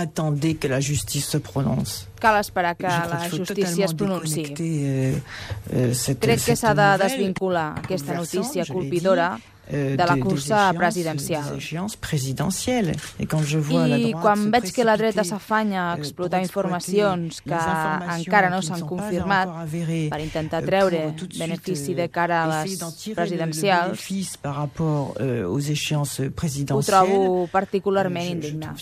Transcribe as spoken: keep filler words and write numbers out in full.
attendez que la justice se prononce. Cal esperar que la justícia es pronunciï. Euh, euh, cette, Crec que s'ha de nouvelle, desvincular aquesta notícia colpidora de la cursa presidencial. I quan veig que la dreta s'afanya a explotar informacions que encara no s'han confirmat per intentar treure benefici de cara a les presidencials, ho trobo particularment indignant.